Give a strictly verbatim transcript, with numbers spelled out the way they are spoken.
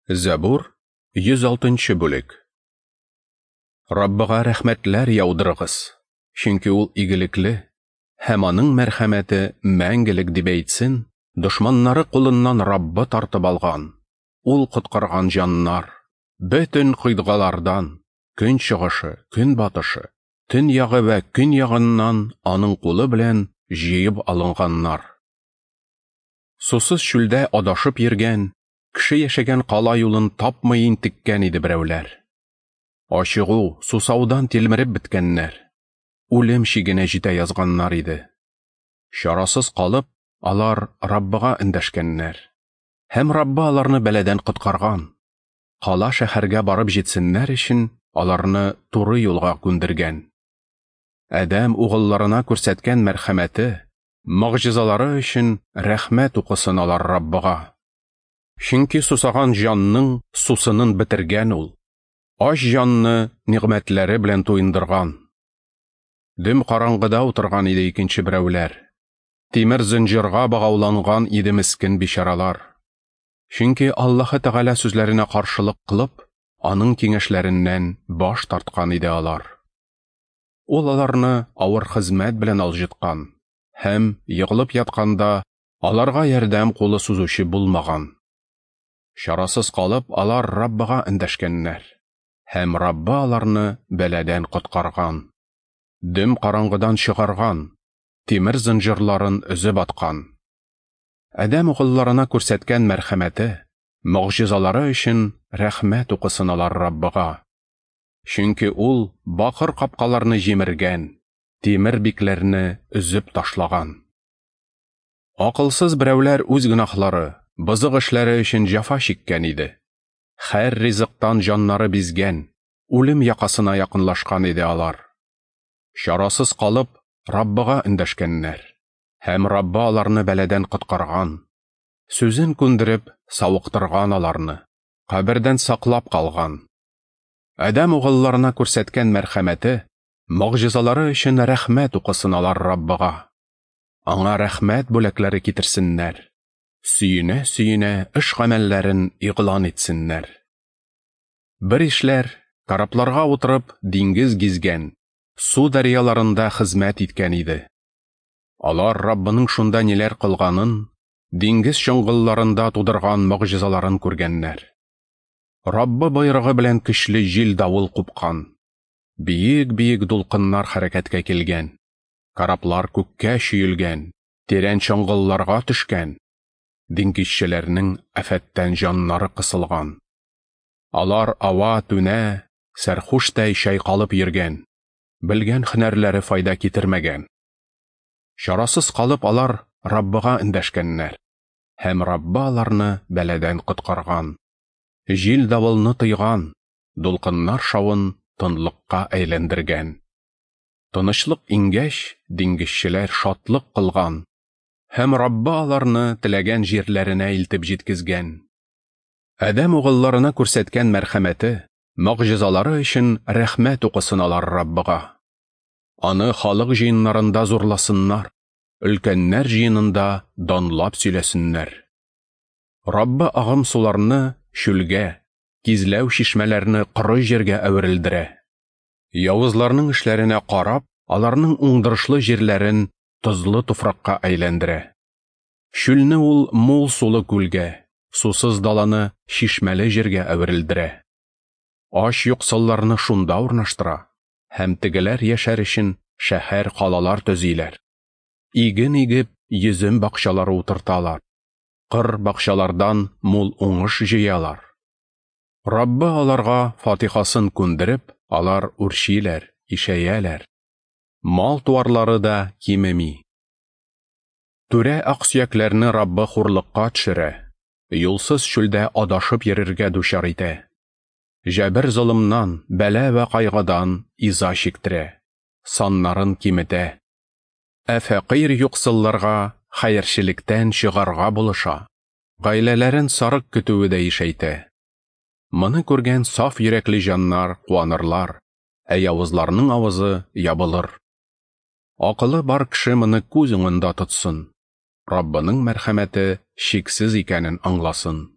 Зәбур, йөз алтынчы бүлек. Раббыга рәхмәтләр яудырыгыз, чөнки ул игелекле, һәм аның мәрхәмәте мәңгелек дип әйтсен, дошманнары кулыннан Раббы тартып алган, ул коткарган җаннар, бөтен кыйтгалардан, көн чыгышы, көн батышы, төньягы вә көньягыннан аның кулы белән җыеп алынганнар. Сусыз чүлдә адашып йөргән, кеше яшәгән кала юлын тапмый интеккән иде берәүләр. Ачыгу, сусаудан тилмереп беткәннәр, үлем чигенә җитә язганнар иде. Чарасыз калып, алар Раббыга эндәшкәннәр. Һәм Раббы аларны бәладән коткарган. Кала шәһәргә барып җитсеннәр өчен аларны туры юлга күндергән. Адәм угылларына күрсәткән мәрхәмәте, могҗизалары өчен рәхмәт укысын алар Раббыга. Чөнки сусаган җанның сусынын бетергән ул, ач җанны нигъмәтләре белән туендырган. Дөм караңгыда утырган иде икенче берәүләр. Тимер зынҗырга богауланган иде мескен бичаралар. Чөнки Аллаһы Тәгалә сүзләренә каршылык кылып, аның киңәшләреннән баш тарткан иде алар. Ул аларны авыр хезмәт белән алҗыткан һәм егылып ятканда аларга ярдәм кулы сузучы булмаган. Чарасыз калып, алар Раббыга эндәшкәннәр, һәм Раббы аларны бәладән коткарган, дөм караңгыдан чыгарган, тимер зынҗырларын өзеп аткан. Адәм угылларына күрсәткән мәрхәмәте, могҗизалары өчен рәхмәт укысын алар Раббыга. Чөнки ул бакыр капкаларны җимергән, тимер бикләрне өзеп ташлаган. Акылсыз берәүләр үз гөнаһлары, бозык эшләре өчен җәфа чиккән иде. Һәр ризыктан җаннары бизгән, үлем якасына якынлашкан иде алар. Чарасыз калып, Раббыга эндәшкәннәр, һәм Раббы аларны бәладән коткарган. Сүзен күндереп, савыктырган аларны, кабердән саклап калган. Адәм угылларына күрсәткән мәрхәмәте, могҗизалары өчен рәхмәт укысын алар Раббыга. Аңа рәхмәт бүләкләре китерсеннәр. Сөенә-сөенә эш гамәлләрен игълан итсеннәр. Бер ишләр корабларга утырып диңгез гизгән, су дәрьяларында хезмәт иткән иде. Алар Раббының шунда ниләр кылганын, диңгез чоңгылларында тудырган могҗизаларын күргәннәр. Раббы боерыгы белән көчле җил-давыл купкан. Биек-биек дулкыннар хәрәкәткә килгән. Кораблар күккә чөелгән, тирән чоңгылларга төшкән. Диңгезчеләрнең афәттән җаннары кысылган. Алар ава-түнә, сәрхуштәй чайкалып йөргән, белгән һөнәрләре файда китермәгән. Чарасыз калып алар Раббыга эндәшкәннәр, һәм Раббы аларны бәладән коткарган. Җил-давылны тыйган, дулкыннар шавын тынлыкка әйләндергән. Тынычлык иңгәч, диңгезчеләр шатлык кылган, һәм Раббы аларны теләгән җирләренә илтеп җиткезгән. Адәм угылларына күрсәткән мәрхәмәте, могҗизалары өчен рәхмәт укысын алар Раббыга. Аны халык җыеннарында зурласыннар, өлкәннәр җыенында данлап сөйләсеннәр. Раббы агым суларны чүлгә, кизләү чишмәләрне коры җиргә әверелдерә. Явызларның эшләренә карап, аларның уңдырышлы җирләрен тозлы туфракка әйләндерә. Чүлне ул мул сулы күлгә, сусыз даланы чишмәле җиргә әверелдерә. Ач юксылларны шунда урнаштыра, һәм тегеләр яшәр өчен шәһәр калалар төзиләр. Иген игеп, йөзем бакчалары утырталар. Кыр бакчалардан мул уңыш җыялар. Раббы аларга фатихасын күндереп, алар үрчиләр, ишәяләр. Мал-туарлары да кимеми. Түрә аксөякләрне Раббы хурлыкка төшерә, юлсыз чүлдә адашып йөрергә дучар итә. Җәбер золымнан, бәла вә кайгыдан иза чиктерә, саннарын киметә. Ә фәкыйрь юксылларга хәерчелектән чыгарга булыша, гаиләләрен сарык көтүе дә ишәйтә. Моны күргән саф йөрәкле җаннар куанырлар, ә явызларның авызы ябылыр. Акылы бар кеше моны күз уңында тотсын, Раббының мәрхәмәте чиксез икәнен аңласын.